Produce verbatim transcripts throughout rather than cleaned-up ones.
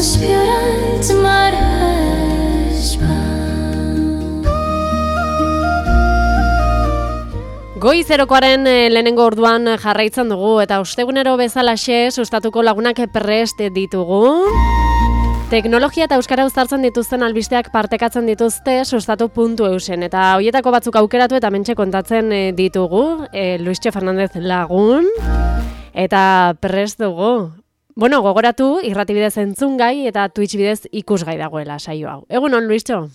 zbierać mareźba. Goizerokoaren lehenengo orduan jarraitzen dugu eta ostegunero bezalaxe sustatuko lagunak prest ditugu. Teknologia eta euskara uztartzen dituzten albisteak partekatzen dituzte sustatu puntu eusen eta hoietako batzuk aukeratu eta mentxe kontatzen ditugu e, Luistxo Fernandez lagun eta prest dugu. Bueno, gogoratu irratibidez entzungai eta Twitch bidez ikusgai dagoela saio hau. Egunon, Luistxo?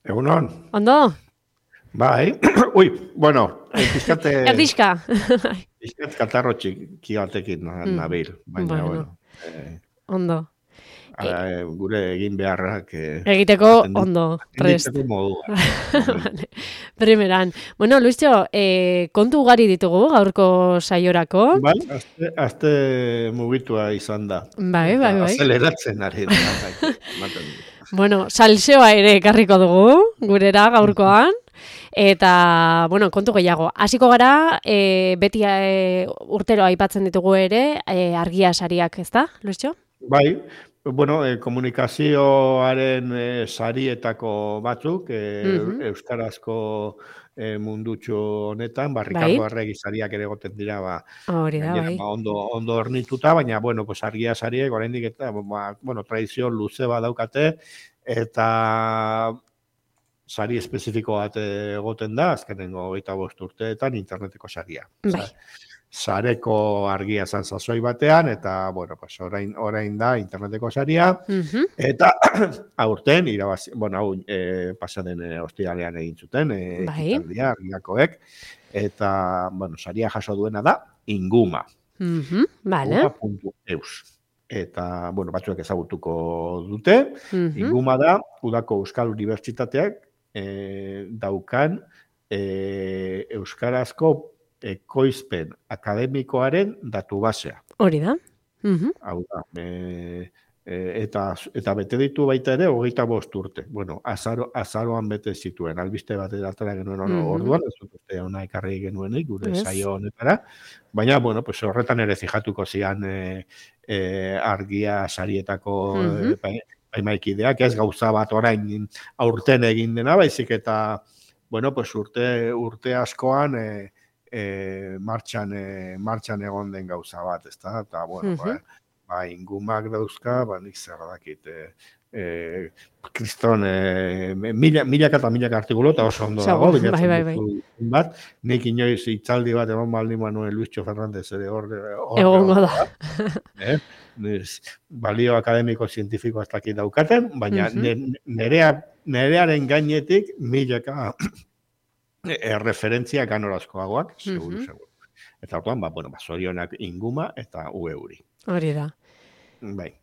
Egunon. Ondo? Bai, ui, bueno, pizkate... Erdixka. Pizkat katarro txiki batekin nabil, baina, bueno. bueno eh, ondo. Ara, eh, gure egin beharrak... Eh, Egiteko ondo, prest. Egiteko modua. Vale. Primeran. Bueno, Luistxo, eh, kontu ugari ditugu gaurko saiorako. Bai, azte, azte mugitua izan da. Bai, bai, bai. Azeleratzen ari da. Bueno, salseoa ere ekarriko dugu, gurera gaurkoan. Eta, bueno, kontu gehiago. Hasiko gara, e, beti e, urtero aipatzen ditugu ere, e, argia sariak, ezta, Luistxo? Bai, bueno, e, komunikazioaren e, sarietako batzuk, e, mm-hmm. euskarazko e, mundutxo honetan, ba, Ricardo bai. Arregi sariak ere goten dira, ba, hori da, bai. Ba, ondo, ondo ornituta, baina, bueno, pues, argia sariek, oraindik eta, ba, bueno, tradizio luze bat daukate, eta... sari espezifiko bat egoten da, azkenengo hogeita bost urteetan interneteko saria. Bai. Sareko argia zan sasoi batean, eta, bueno, pues, orain, orain da interneteko saria, uh-huh. eta aurten, irabazi, bueno, hau e, pasaden e, ostiralean egin zuten, e, bai. Ekitaldia, argiakoek, eta, bueno, saria jaso duena da, Inguma. Uh-huh. Vale. Inguma puntu eus. Eta, bueno, batzuek ezagutuko dute, uh-huh. Inguma da, Udako Euskal Unibertsitateak, E, daukan e, euskarazko ekoizpen akademikoaren datu basea. Hori da. Uh-huh. Hau da. E, e, eta, eta bete ditu baita ere hogeita bost urte. Bueno, azaro, azaroan bete zituen. Albiste bat edatara genuen uh-huh. orduan, ez dut uste hona ekarri genuenik, gure yes. saio honetara. Baina, bueno, pues horretan ere fijatuko zian e, e, argia sarietako uh-huh. e, Baimaikideak, ez gauza bat orain aurten egin dena, baizik eta, bueno, pues urte, urte askoan e, e, martxan, e, martxan egon den gauza bat, ezta? Eta, bueno, uh-huh. ba, ba, Ingumak dauzka, ba, nik zer dakit, e, e, kriston, e, mila, milaka eta milaka artikulo, eta oso ondo dago, bai, bai, bai. bat, nik inoiz hitzaldi bat egon baldin manuen Luistxo Fernandez ere hor, egongo da. Eh? Balio akademiko zientifiko ez dakit daukaten, baina uh-huh. nerea, nerearen gainetik milaka referentzia ganorazkoagoak, seguru, uh-huh. seguru. Eta orduan, ba, bueno, ba, zorionak Inguma eta ueuri. Hori da. Bai.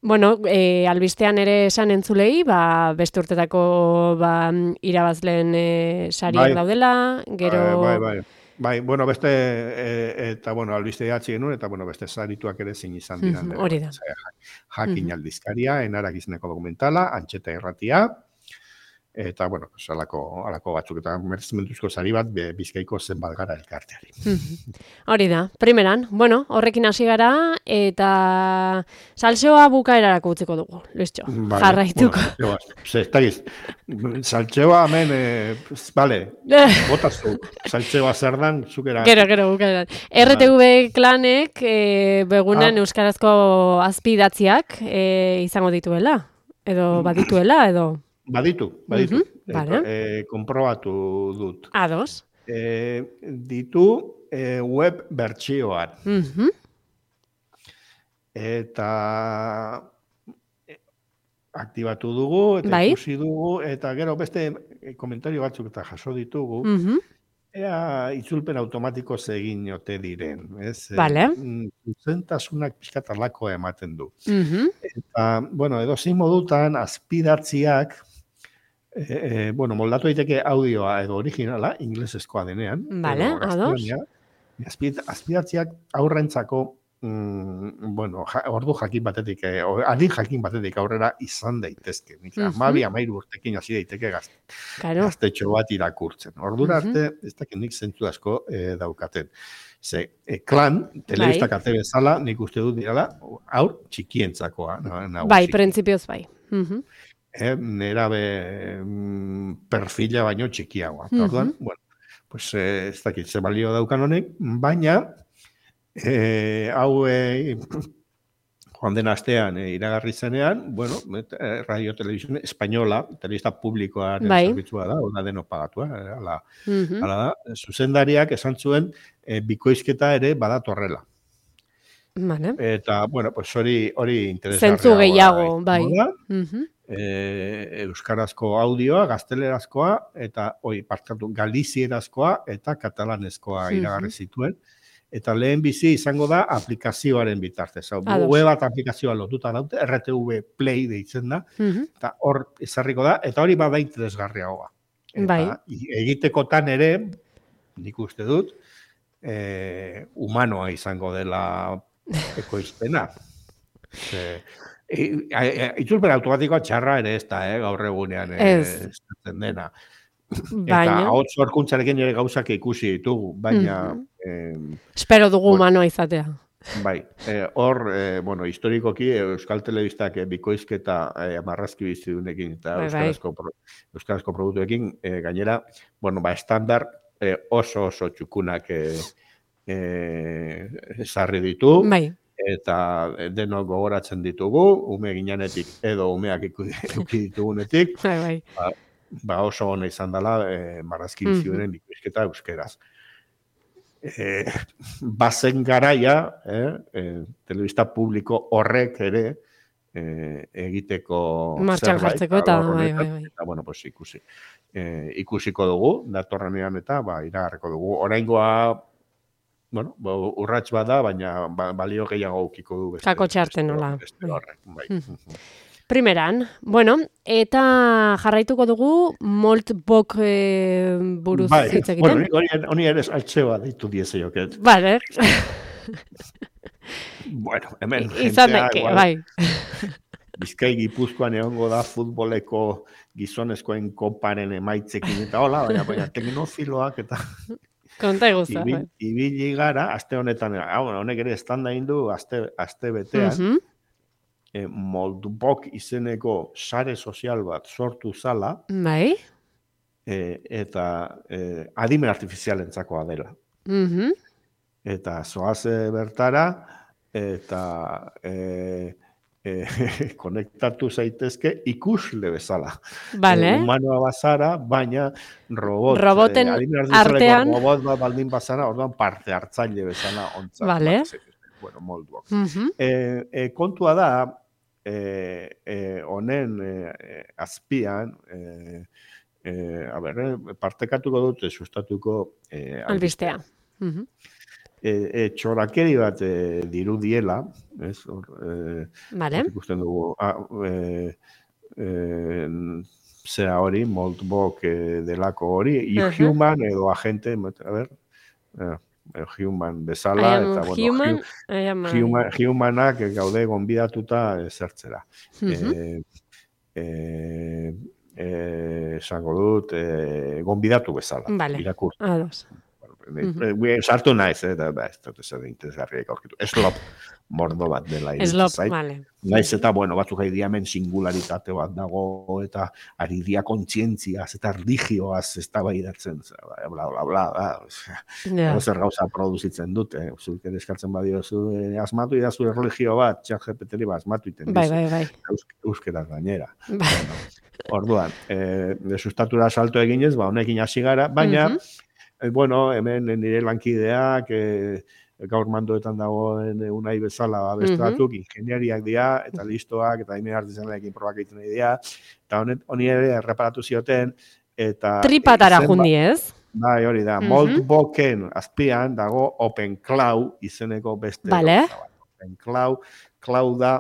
Bueno, e, albistean ere esan entzulei, ba, beste urtetako ba, irabazleen e, sariak bai. Daudela, gero... Bai, bai, bai. Bai, bueno, beste, e, eta, bueno, albiste jatzi genuen, eta, bueno, beste sarituak ere zin izan diran. Mm, hori da. Jakin mm-hmm. aldizkaria, enarak izeneko dokumentala, Antxeta Irratia, eta, bueno, pues, alako, alako batzuk, eta merezmentuzko sari bat, Bizkaiko zenbat gara elkarteari. Mm-hmm. Hori da, primeran, bueno, horrekin hasi gara, eta saltseoa bukaerarako utziko dugu, Luistxo, vale, jarraituko. Bueno, ze, ez dagiz, saltseoa hemen, eh, vale, botazu, saltseoa zer dan, zukera. Gero, gero, bukaeran. R T V klanek, eh, begunen ah. euskarazko azpidatziak eh, izango dituela, edo badituela, edo... Baditu, baditu. Uh-huh, vale. e, konprobatu dut. Ados. E, ditu e, web bertsioan. Uh-huh. Eta aktibatu dugu, eta bai. Ikusi dugu, eta gero beste komentario batzuk eta jaso ditugu. Uh-huh. Ea itzulpen automatiko egin ote diren. Vale. Zuzentasunak pixkat alako ematen du. Uh-huh. Eta, bueno, edo zein modutan, azpidatziak, E, e, bueno, moldatu daiteke audioa edo originala, inglesezkoa denean. Vale, ados. Azpidatziak aurrentzako, mm, bueno, ja, ordu jakin batetik, eh, adin jakin batetik aurrera izan daitezke. Nik, uh-huh. Amabi, amairu urtekin hasi daiteke gazte, claro. Gaztetxo bat irakurtzen. Ordura arte, uh-huh. ez dakit nik zentzu asko eh, daukaten. Ze, e, klan, telebista kate bezala, nik uste dut dirala, aur txikientzakoa. Nagusi. Bai, printzipioz bai. Uh-huh. Eh, nera be mm, perfila baino txikiagoa. Uh-huh. Orduan, bueno, pues eh, ez dakit ze balio daukan honek, baina eh, hau eh, joan den astean eh, iragarri zenean, bueno, eh, radio televisión española, telebista publikoaren bai. Zerbitzua da, ona deno pagatua, eh, ala, uh-huh. ala da, zuzendariak esan zuen eh, bikoizketa ere badatorrela. Vale. Eta, bueno, pues hori hori interesgarria. Zentzu gehiago, bai. Uh-huh. Eh, euskarazko audioa, gaztelerazkoa, eta oi, partkatu, galizierazkoa eta katalanezkoa uh-huh. iragarri zituen. Eta lehen bizi izango da aplikazioaren bitartez. Hau, web bat aplikazioa lotuta daute, R T V Play deitzen da, uh-huh. eta hor ezarriko da, eta hori bada interesgarriagoa. Eta bai. Egitekotan ere, nik uste dut, eh, humanoa izango dela ekoizpena. e, e, e, Itzulpen automatikoa txarra ere ez da, eh, gaur egunean ez e, dena. Baina... Eta hau zorkuntzarekin ere gauzak ikusi ditugu, baina... Mm-hmm. Eh, Espero dugu bueno, humanoa izatea. Bai, hor, eh, eh, bueno, historikoki Euskal Telebistak eh, bikoizketa eh, marrazki bizidunekin eta bai, euskarazko, bai. pro, euskarazko produktuekin eh, gainera, bueno, ba, estandar eh, oso oso txukunak eh, eh, sarri ditu. Bai. Eta denok gogoratzen ditugu, ume ginanetik edo umeak ikuki ditugunetik. Bai, bai. Ba, ba oso hona izan dela eh, marrazki bizioaren mm-hmm. bikoizketa euskeraz. Eh, bazen garaia, eh, eh, telebista publiko horrek ere eh, egiteko martxan jartzeko eta, bai, bai, bai. Eta, bueno, pues ikusi. Eh, ikusiko dugu, datorrenean eta, ba, iragarreko dugu. Oraingoa, bueno, urrats bada, baina ba, balio gehiago ukiko du. Beste, kako txarten nola. Beste horrek, bai. Mm. Primeran, bueno, eta jarraituko dugu Moltbook e, buruz bai, hitz egiten. Bueno, honi ere altxeba ditu diese joket. Vale. Bueno, hemen izan deke, bai. Bizkai Gipuzkoan egongo da futboleko gizonezkoen koparen emaitzekin eta hola, baina, baina teknofiloak eta... Konta eguzta. Ibil, ibili gara, aste honetan, honek ere estanda indu, aste, aste betean, uh-huh. E, Moltbook izeneko sare sozial bat sortu zala, bai. E, eta e, adimen artifizialentzakoa dela. Uh-huh. Eta zoaze bertara, eta e, e, konektatu zaitezke ikusle bezala. Vale. E, humanoa bazara, baina robot, roboten e, artean robot bat baldin bazara, orduan parte hartzaile bezala ontzat. Vale. Bueno, Moltbook. Uh-huh. e, e, kontua da, Eh, eh, honen eh, azpian eh, eh, a ber, eh, partekatuko dute sustatuko eh, albistea. Uh-huh. eh, eh, txorakeri bat eh, dirudiela, ez? Or, eh, vale. Ikusten dugu, ah, eh, eh, zera hori, Moltbook eh, delako hori, uh-huh. Human edo agente, a ber, eh, human bezala, eta bueno, human, human, humanak gaude gonbidatuta zertzera. Uh-huh. E, e, esango dut, e, gonbidatu bezala. Vale, irakur. Ados. Uh-huh. Sartu naiz, eta ba, ez dut ez interesgarriak aurkitu. Eslop mordo bat dela. Eslop, vale. Naiz eta, bueno, batzuk haidiamen singularitate bat dago, eta ari dia kontzientziaz, eta religioaz ez da bai datzen, bla, bla, bla, bla. Yeah. Zer gauza produzitzen dute. Zuk ere eskartzen badiozu, eh, asmatu idazu religio bat, txat G P T bat asmatu iten dizu. Bai, bai, bai. Euskeraz gainera. Bai. Bueno, orduan, eh, de sustatura salto eginez, ba, honekin hasi gara, baina, uh-huh. eh, bueno, hemen nire lankideak, eh, gaur mandoetan dagoen unai bezala bestatuk, uh-huh. ingeniariak dira, eta listoak, eta himen artizanleekin probak egiten dira, eta honi ere erreparatu zioten, eta... Tripatara jundi ez? Bai, hori da, uh-huh. Moltbooken azpian dago OpenCloud izeneko beste. Vale. OpenCloud, cloud da,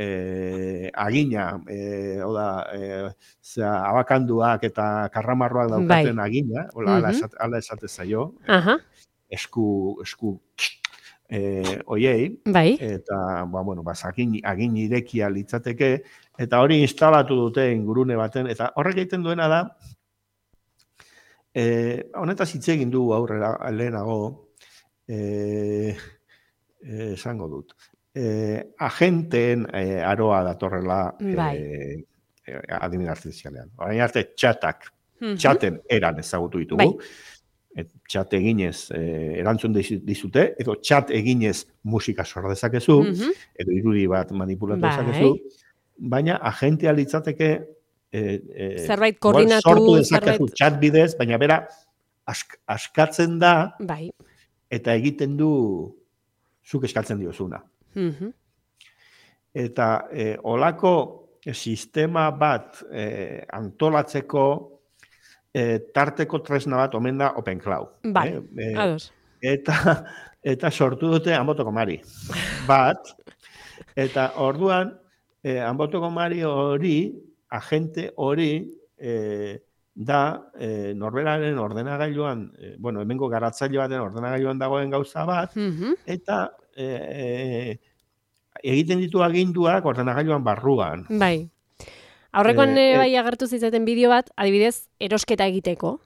eh, agina, eh, oda, eh, zera, abakanduak eta karramarroak daukaten bai. Agina, hola, uh-huh. ala, esate, ala esate zaio, uh-huh. esku, esku, eh, oiei, bai. Eta, ba, bueno, ba, agin, agin irekia litzateke, eta hori instalatu dute ingurune baten, eta horrek egiten duena da, eh, honetaz hitz egin du aurrera, lehenago, eh, eh, esango dut, eh, agenteen eh, aroa datorrela Bai. eh, eh, adimen artifizialean. Orain arte txatak, Mhm. txaten eran ezagutu ditugu, Bai. et, txat eginez eh, erantzun dizu- dizute, edo txat eginez musika sor dezakezu, Mhm. edo irudi bat manipulatu Bai. dezakezu, baina agentea litzateke eh, eh, Zerbait igual koordinatu, sortu dezakezu zerbait- txat bidez, baina bera ask, askatzen da Bai. eta egiten du zuk eskatzen diozuna. Mhm. Eta eh, olako sistema bat eh, antolatzeko eh, tarteko tresna bat omen da OpenCloud. Bai, eh? Eh, ados. eta, eta sortu dute Anbotoko Mari bat, eta orduan eh, Anbotoko Mari hori, agente hori, eh, da eh, norberaren ordenagailuan, eh, bueno, hemengo garatzaile baten ordenagailuan dagoen gauza bat, Mhm. eta eh, egiten ditu aginduak ordenagailuan barruan. Bai. Aurrekoan Eh, eh, eh, bai agertu zitzaten bideo bat, adibidez, erosketa egiteko.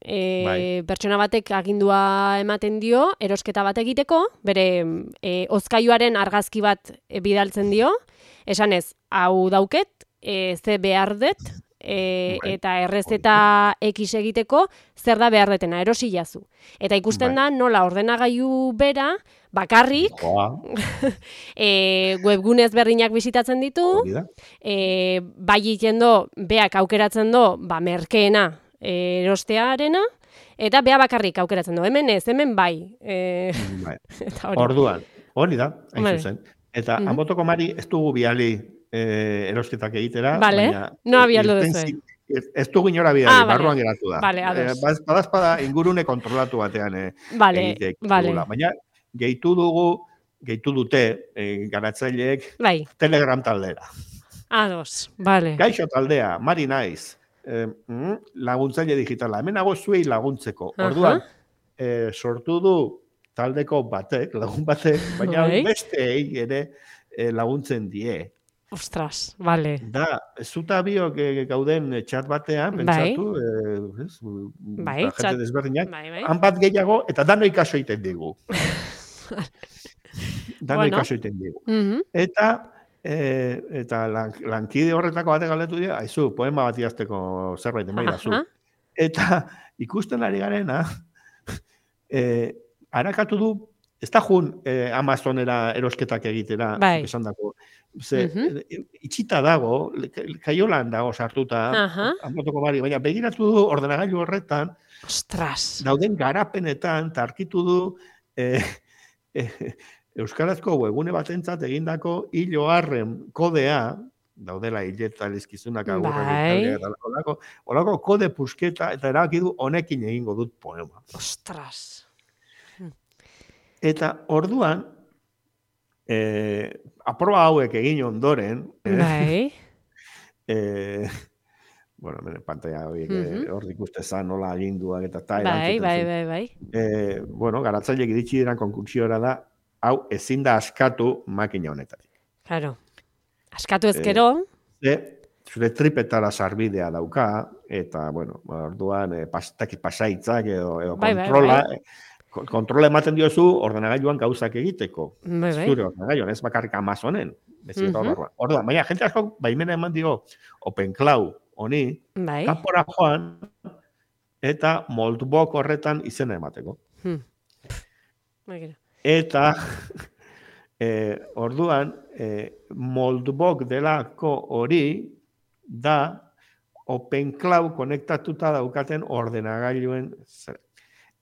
E, Bai. Pertsona batek agindua ematen dio, erosketa bat egiteko, bere e, hozkailuaren argazki bat e, bidaltzen dio, esanez, hau dauket, e, ze behar dut, e, Bai. eta errezeta X egiteko, zer da behar detena, erosi jazu. Eta ikusten Bai. da nola ordenagailu bera, bakarrik, Joa, e, webgune ezberdinak bisitatzen ditu, hori da. e, bai egiten do, beak aukeratzen do, ba, merkeena e, erostearena, eta bea bakarrik aukeratzen do. Hemen ez, hemen bai. E, Bai. eta hori. Orduan, hori da, hain Vale. zuzen. Eta Mhm. Anbotoko Mari ez dugu biali eh, erosketak egitera, Vale, baina noa bialdu irten duzue? zi- Ez, ez dugu inora bidali, Ah, vale. barruan geratu da. Vale, ados. Eh, baz- badazpada ingurune kontrolatu batean eh, Vale, egiteek vale. dugula. Baina gehitu dugu, gehitu dute eh, garatzaileek Bai, Telegram taldera. ados, vale. Gaixo taldea, Mari naiz, eh, mm, laguntzaile digitala. Hemen nago zuei laguntzeko. Aha. Orduan, eh, sortu du taldeko batek, lagun batek, baina Bai. besteei ere eh, laguntzen die. Ostras, vale. Da, zuta biok eh, gauden eh, chat batean, Bai. pentsatu, eh, ez, Bai, ba, chat- jente desberdinak, Bai, bai. han bat gehiago, eta dano ikaso egiten digu. Dano Bueno. ikaso egiten digu. Mhm. Eta eh, eta lan, lankide horretako batek galdetu dira, aizu, poema bat idazteko zerbait emaidazu. Aha. Eta ikusten ari garena, eh, harakatu du, ez da jun eh, Amazonera erosketak egitera, Bai. esan dako. Ze, Mhm. eh, itxita dago, le- kaiolan dago sartuta, Aha. Anbotoko Mari, baina begiratu du ordenagailu horretan, Ostras. dauden garapenetan, tarkitu du, eh, eh, Euskarazko webgune batentzat egindako hilo harren kodea, daudela hileta lizkizunak agurrak Bai. Italia eta olako, olako kode pusketa, eta erabaki du honekin egingo dut poema. Ostras. Eta orduan, eh, aproba hauek egin ondoren, eh, Bai. eh, bueno, hemen pantalla horiek Mhm. eh, hor ikustezan nola aginduak eta ta Bai, erantzuten bai, zuen. bai, bai. Eh, bueno, garatzaileek iritsi diran konklusiora da, hau ezin da askatu makina honetatik. Claro. Askatu ezkero, Ze, zure tripetara sarbidea dauka, eta, bueno, ba, orduan, eh, pas, taki pasaitzak edo, edo Bai, bai, kontrola, bai. eh, kon- kontrola ematen diozu ordenagailuan gauzak egiteko. bai, bai. Zure ordenagailuan, ez bakarrik Amazonen. Bezi eta Mhm. barruan. Orduan, baina jente asko baimena eman dio OpenCloud honi, Bai. kanpora joan, eta Moldbook horretan izena emateko. Hmm. Begira. Eta eh, orduan, eh, Moldbook delako hori da OpenCloud konektatuta daukaten ordenagailuen zer.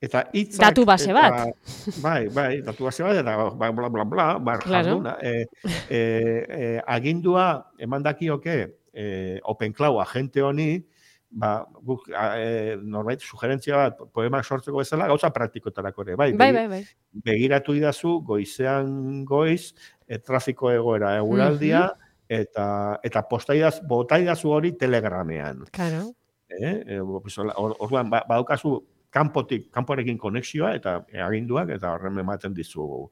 Eta hitzak... Datu base eta- bat. Bai, bai, datu base bat, eta bla, bla, bla, bla, bar Claro. jarduna. Eh, eh, eh, agindua eman dakioke eh, OpenCloud agente honi, ba, guk, eh, norbait, sugerentzia bat, poemak sortzeko bezala, gauza praktikotarako ere, bai, Bai, begi- bai, bai. begiratu idazu goizean goiz, e, trafiko egoera eguraldia, eta, eta postaidaz, botaidazu hori Telegramean. Claro. Eh? E, pues, or- orduan, ba, badaukazu kanpotik, kanporekin konexioa, eta e, aginduak, eta horren ematen dizu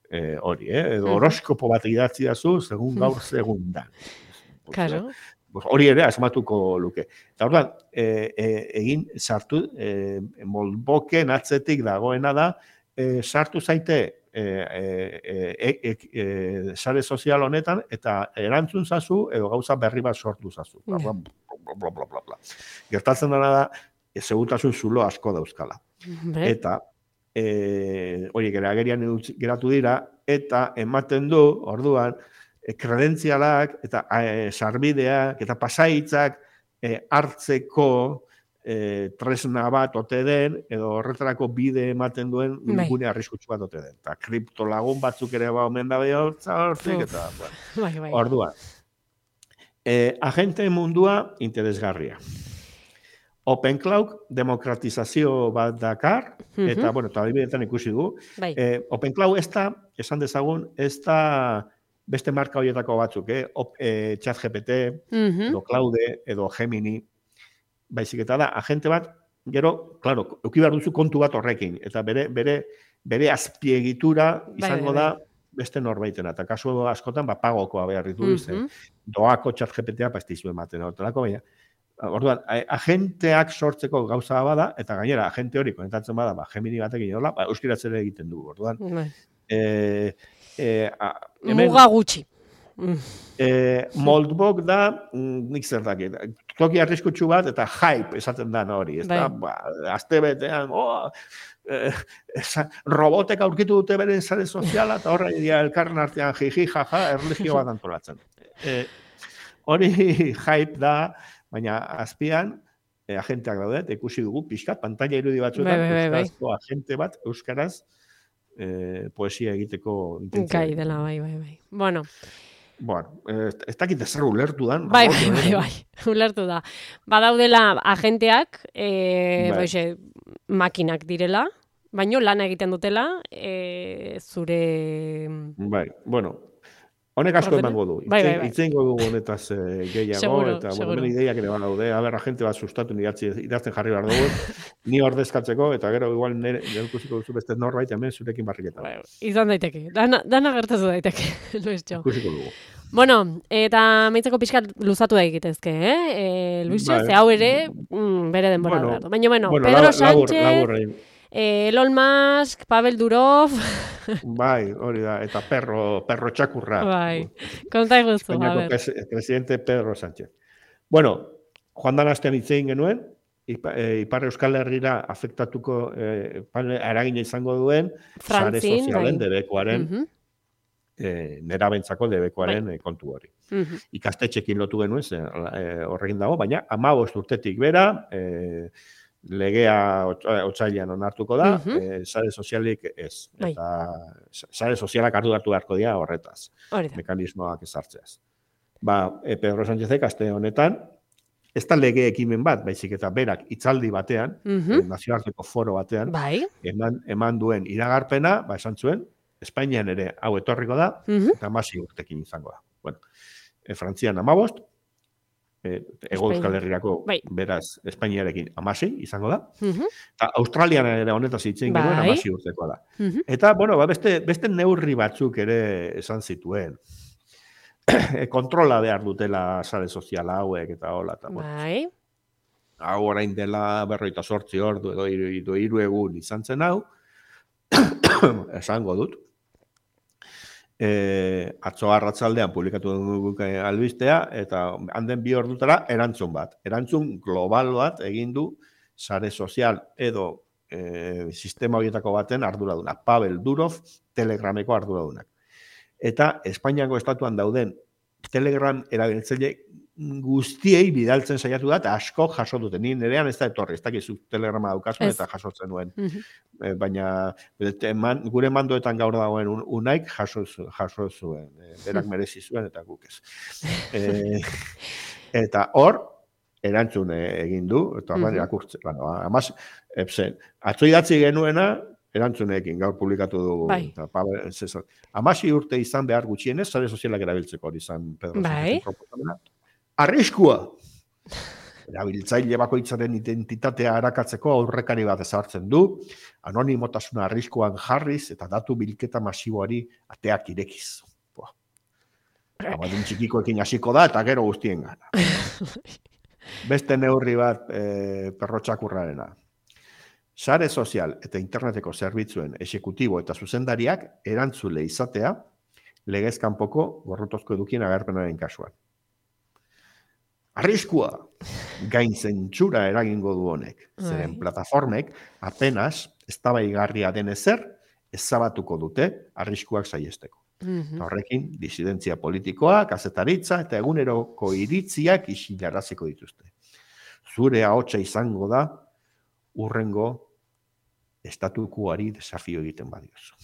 e, hori, eh? Edo Mhm. horoskopo bat idatzi dazu, segun gaur, segun da. Pues, Claro. pues hori ere asmatuko luke. Eta orduan, e, e, egin sartu, e, Moldboken atzetik dagoena da, e, sartu zaite e, e, e, e, sare sozial honetan eta erantzun zazu edo gauza berri bat sortu zazu. Bla, bla, bla, bla, bla, bla. Gertatzen dena da, e, segurtasun zulo asko dauzkala. Be. Eta e, hori agerian geratu dira, eta ematen du, orduan, e, kredentzialak eta e, sarbideak eta pasaitzak e, hartzeko e, tresna bat ote den, edo horretarako bide ematen duen Bai. gune arriskutsu bat ote den. Eta kriptolagun batzuk ere ba omen da behortza hortik, eta bueno, Bai, bai. orduan. E, agente mundua interesgarria. Open Cloud demokratizazio bat dakar, Mhm. eta, bueno, eta adibidetan ikusi du. Bai. Eh, Open Cloud ez da, esan dezagun, ez da beste marka horietako batzuk, eh? Op, eh, ChatGPT, Mhm. edo Claude, edo Gemini, baizik eta da, agente bat, gero, claro, euki behar duzu kontu bat horrekin, eta bere, bere, bere azpiegitura izango bai, bai. da beste norbaitena, eta kasu askotan, ba, pagokoa behar ditu, Mhm. doako ChatGPTA pastizu ematen, hortelako, baina, orduan, agenteak sortzeko gauza bada, eta gainera, agente hori konetatzen bada, ba, Gemini batekin hola, ba, euskiratzere egiten du, orduan. Bai. E, e, a, hemen, Muga gutxi. e, Moldbok da, mm, nik zer dakit, toki arriskutsu bat, eta hype esaten da hori, ez da, Bai. ba, azte betean, oh, eh, esa, robotek aurkitu dute beren sare soziala, eta horra idia elkarren artean jiji, jaja, erlijio bat antolatzen. E, hori hype da, baina azpian, e, agenteak daude, eta ikusi dugu, pixkat, pantalla irudi batzuetan, Bai, bai, bai, bai. euskarazko agente bat, euskaraz, e, poesia egiteko intentzia. Gai dela, bai, bai, bai. Bueno, Bueno, ez, ez dakit ezer ulertu dan. bai, robot bai, bai, honetan. bai, ulertu da. Badaudela agenteak, e, Bai. boixe, makinak direla, baino lana egiten dutela, e, zure... Bai, bueno, honek asko Ordena? emango du. Bai, bai, bai. Itzengo dugu honetaz eh, gehiago, Seguro, eta seguro. bueno, hemen ideiak ere badaude, aber agente bat sustatu idatzi, idazten jarri behar dugu, ni ordezkatzeko, eta gero igual nire nire ikusiko duzu beste norbait, hemen zurekin barriketa. Bai, izan daiteke, dana, dana gertatu daiteke, Luisjo. Ikusiko dugu. Bueno, eta meitzeko pixkat luzatu da egitezke, eh? E, Luisjo, Bai. ze hau ere, mm, bere denbora Bueno, behar du. Baina, bueno, bueno, Pedro labur- labur- Sánchez, laburrein. eh, Elon Musk, Pavel Durov, Bai, hori da, eta perro, perro txakurra. bai, konta eguzu, a Espainiako ber. pres- presidente Pedro Sánchez. Bueno, joan dan astean hitz egin genuen, Ipa, e, Ipar Euskal Herrira afektatuko e, eragina izango duen, sare Frantzin, sozialen bai. debekoaren, Mhm, e, nerabentzako debekoaren Bai. e, kontu hori. mhm. Ikastetxekin lotu genuen, ze, e, horrekin dago, baina hamabost urtetik bera, e, legea ot- otsailean onartuko da, Mhm. e, sare sozialik ez. Bai. Eta sare sozialak arduratu beharko dira horretaz, Hori da. mekanismoak ezartzeaz. Ba, e, Pedro Sánchezek aste honetan, ez da lege ekimen bat, baizik eta berak hitzaldi batean, Mhm. e, nazioarteko foro batean, Bai. eman, eman duen iragarpena, ba, esan zuen, Espainian ere hau etorriko da, Mhm. eta hamazi urtekin izango da. Bueno, e, Frantzian hamabost, e, Ego Espainia. Euskal Herrirako, Bai. beraz, Espainiarekin hamasei izango da, Mhm, eta Australian ere honetaz hitzen genuen Bai. hamazi urtekoa da. mhm. Eta, bueno, ba, beste, beste neurri batzuk ere esan zituen. E, kontrola behar dutela sare soziala hauek eta hola, eta, bueno, Bai. hau orain dela berroita sortzi ordu edo hiru, edo hiru egun izan zen hau, esango dut. E, atzo arratzaldean publikatu dugu albistea, eta handen bi ordutara erantzun bat. Erantzun global bat egin du sare sozial edo e, sistema horietako baten arduraduna. Pavel Durov, Telegrameko arduradunak. Eta Espainiako estatuan dauden Telegram erabiltzaile guztiei bidaltzen saiatu da, eta asko jaso dute. Ni nerean ez da etorri, ez dakizu Telegrama daukazun Ez. eta jasotzen nuen. Mhm. E, baina eman, gure mandoetan gaur dagoen un, unaik jaso, zu- jaso zuen. E, berak merezi zuen eta guk ez. E, eta hor, erantzun e, egin du, eta orduan Mhm. irakurtzen. Bueno, amaz, epsen, atzo idatzi genuena, erantzunekin gaur publikatu dugu. Bai. Eta, Pavel, Cesar. Amasi urte izan behar gutxienez, sare sozialak erabiltzeko hori izan Pedro Bai. Sánchezen proposamena. Arriskua! Erabiltzaile bakoitzaren identitatea arakatzeko aurrekari bat ezartzen du, anonimotasuna arriskuan jarriz eta datu bilketa masiboari ateak irekiz. Buah. Abadun txikikoekin hasiko da eta gero guztien gana. Beste neurri bat e, perrotxakurrarena. sare sozial eta interneteko zerbitzuen exekutibo eta zuzendariak erantzule izatea legez kanpoko gorrotozko edukien agerpenaren kasuan. Arriskua gain zentsura eragingo du honek, zeren plataformek apenas eztabaigarria den ezer ezabatuko dute arriskuak saihesteko. Mhm. Horrekin, disidentzia politikoa, kazetaritza eta eguneroko iritziak isilaraziko dituzte. Zure ahotsa izango da urrengo estatukuari desafio egiten badiozu.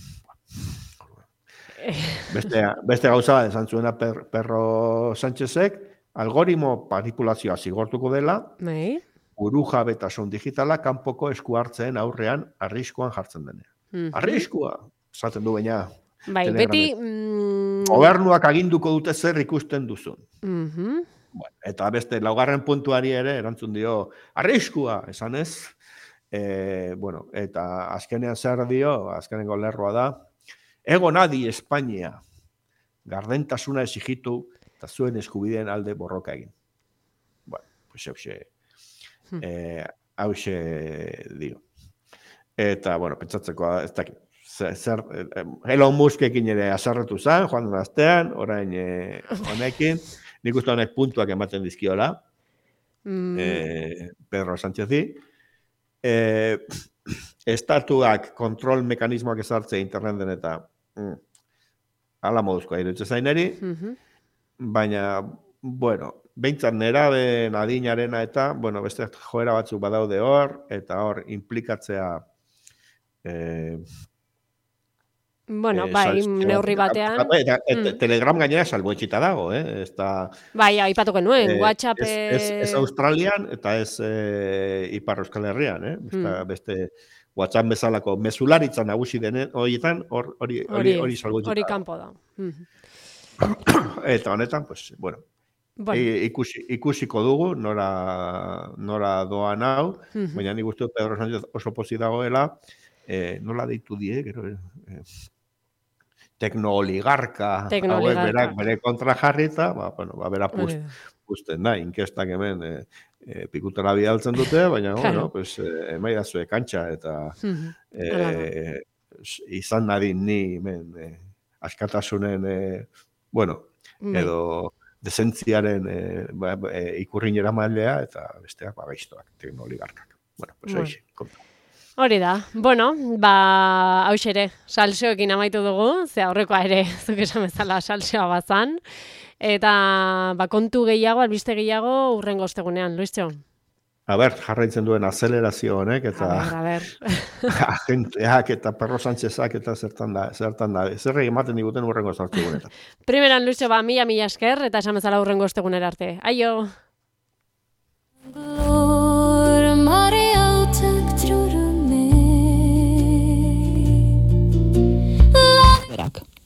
Beste, beste gauza bat esan zuena per, Perro Sánchezek, algoritmo manipulazioa zigortuko dela, Bai. burujabetasun digitala kanpoko esku hartzeen aurrean arriskoan jartzen denean. Mhm. Arriskua, esaten du baina. Bai, Telegramek. beti... Mm, Gobernuak aginduko dute zer ikusten duzun. mhm. Bueno, eta beste laugarren puntuari ere erantzun dio arriskua, esan ez. E, bueno, eta azkenean zer dio, azkenengo lerroa da, ego nadi Espainia, gardentasuna exigitu eta zuen eskubideen alde borroka egin. Bueno, pues hause, eh, hause dio. Eta, bueno, pentsatzeko, ez dakit, zer, zer eh, Elon Muskekin ere azarretu zen, joan den astean, orain eh, honekin, nik uste honek puntuak ematen dizkiola, Mm, eh, Pedro Sánchezi, eh, estatuak kontrol mekanismoak ezartzea interneten eta mm, ala moduzkoa iruditzen zaineri, mhm. baina, bueno, behintzat neraben adinarena eta, bueno, beste joera batzuk badaude hor, eta hor implikatzea eh, Bueno, eh, bai, sal- neurri batean. Eta, eta, Mm. Telegram gainera salbuetxita dago, eh? Ez da, Bai, aipatuko nuen, eh, WhatsApp... ez, ez, ez Australian eta ez eh, Ipar Euskal Herrian, eh? Ez da, Mm. beste WhatsApp bezalako mezularitza nagusi denen horietan hor- hori hori hori salbuetxita hori dago. kanpo da. Mhm. Eta honetan, pues, bueno, Bueno, I- ikusi, ikusiko dugu nora, nora doan hau, mhm. baina nik uste dut Pedro Sánchez oso pozik dagoela, eh, nola deitu die, gero, eh, teknooligarka, hauek Teknooligarka. berak bere kontra jarrita, ba, bueno, ba, bera pust, Hori da. pusten da, inkestak hemen eh, eh, pikutera bidaltzen dute, baina, Claro. bueno, pues, eh, emaidazue kantxa, eta Mhm. eh, izan nadin ni hemen eh, askatasunen, eh, bueno, Bai. edo desentziaren eh, ba, ba, eh, ikurrin eramailea eta besteak ba, gaiztoak, teknooligarkak. Bueno, pues Bueno. hoxe, konta. Hori da. Bueno, ba, hauxe ere, salseoekin amaitu dugu, ze aurrekoa ere, zuk esan bezala salseoa bazan. Eta, ba, kontu gehiago, albiste gehiago, urrengo ostegunean, Luistxo. A ber, jarraitzen duen azelerazio honek, A eta ber, a ber. agenteak eta Perro Sánchezak eta zertan da, zertan da, zerre ematen diguten urrengo sartzegunetan. Primeran, Luistxo, ba, mila, mila esker, eta esan bezala urrengo ostegunera arte. Aio!